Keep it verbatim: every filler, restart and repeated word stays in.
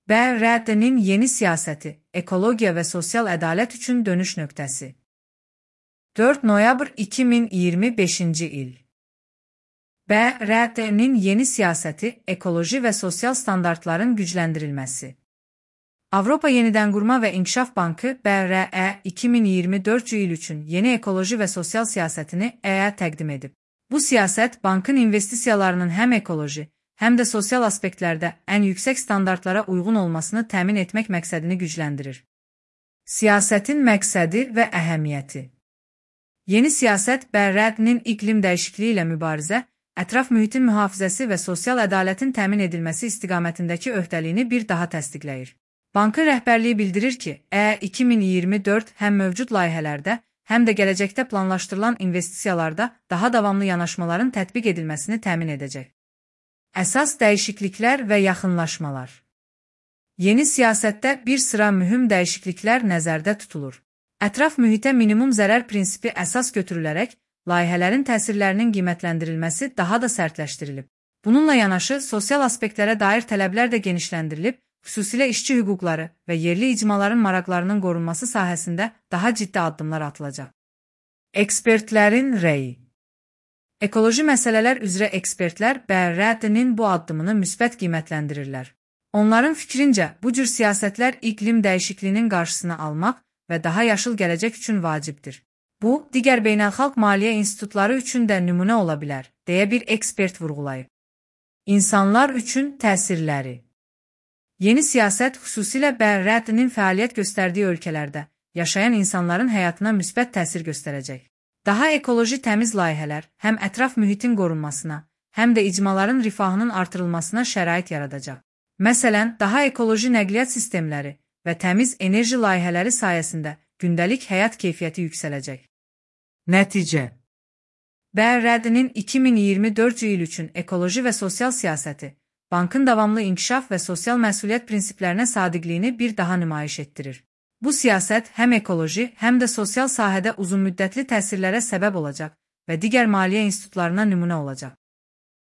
B R D'nin yeni siyaseti, ekologiya və sosial ədalət üçün dönüş nöqtəsi. dörd noyabr iki min iyirmi beşinci il. B R D'nin yeni siyaseti, ekoloji və sosial standartların gücləndirilməsi. Avropa Yenidənqurma və İnkişaf Bankı B R E iki min iyirmi dördüncü il üçün yeni ekoloji və sosial siyasətini E-yə təqdim edib. Bu siyasət bankın investisiyalarının həm ekoloji, həm də sosial aspektlərdə ən yüksək standartlara uyğun olmasını təmin etmək məqsədini gücləndirir. Siyasətin məqsədi və əhəmiyyəti. Yeni siyasət B R D'nin iqlim dəyişikliyi ilə mübarizə, ətraf mühitin mühafizəsi və sosial ədalətin təmin edilməsi istiqamətindəki öhdəliyini bir daha təsdiqləyir. Bankın rəhbərliyi bildirir ki, E iki min iyirmi dörd həm mövcud layihələrdə, həm də gələcəkdə planlaşdırılan investisiyalarda daha davamlı yanaşmaların tətbiq edilməsini təmin edəcək. Əsas dəyişikliklər və yaxınlaşmalar. Yeni siyasətdə bir sıra mühüm dəyişikliklər nəzərdə tutulur. Ətraf mühitə minimum zərər prinsipi əsas götürülərək, layihələrin təsirlərinin qiymətləndirilməsi daha da sərtləşdirilib. Bununla yanaşı, sosial aspektlərə dair tələblər də genişləndirilib, xüsusilə işçi hüquqları və yerli icmaların maraqlarının qorunması sahəsində daha ciddi addımlar atılacaq. Ekspertlərin rəyi. Ekoloji məsələlər üzrə ekspertlər B R D'nin bu addımını müsbət qiymətləndirirlər. Onların fikrincə, bu cür siyasətlər iqlim dəyişikliyinin qarşısını almaq və daha yaşıl gələcək üçün vacibdir. Bu, digər beynəlxalq maliyyə institutları üçün də nümunə ola bilər, deyə bir ekspert vurğulayıb. İnsanlar üçün təsirləri. Yeni siyasət xüsusilə B R D'nin fəaliyyət göstərdiyi ölkələrdə yaşayan insanların həyatına müsbət təsir göstərəcək. Daha ekoloji təmiz layihələr həm ətraf mühitin qorunmasına, həm də icmaların rifahının artırılmasına şərait yaradacaq. Məsələn, daha ekoloji nəqliyyat sistemləri və təmiz enerji layihələri sayəsində gündəlik həyat keyfiyyəti yüksələcək. Nəticə. B R D'nin iki min iyirmi dördüncü il üçün ekoloji və sosial siyasəti, bankın davamlı inkişaf və sosial məsuliyyət prinsiplərinə sadiqliyini bir daha nümayiş etdirir. Bu siyasət həm ekoloji, həm də sosial sahədə uzunmüddətli təsirlərə səbəb olacaq və digər maliyyə institutlarına nümunə olacaq.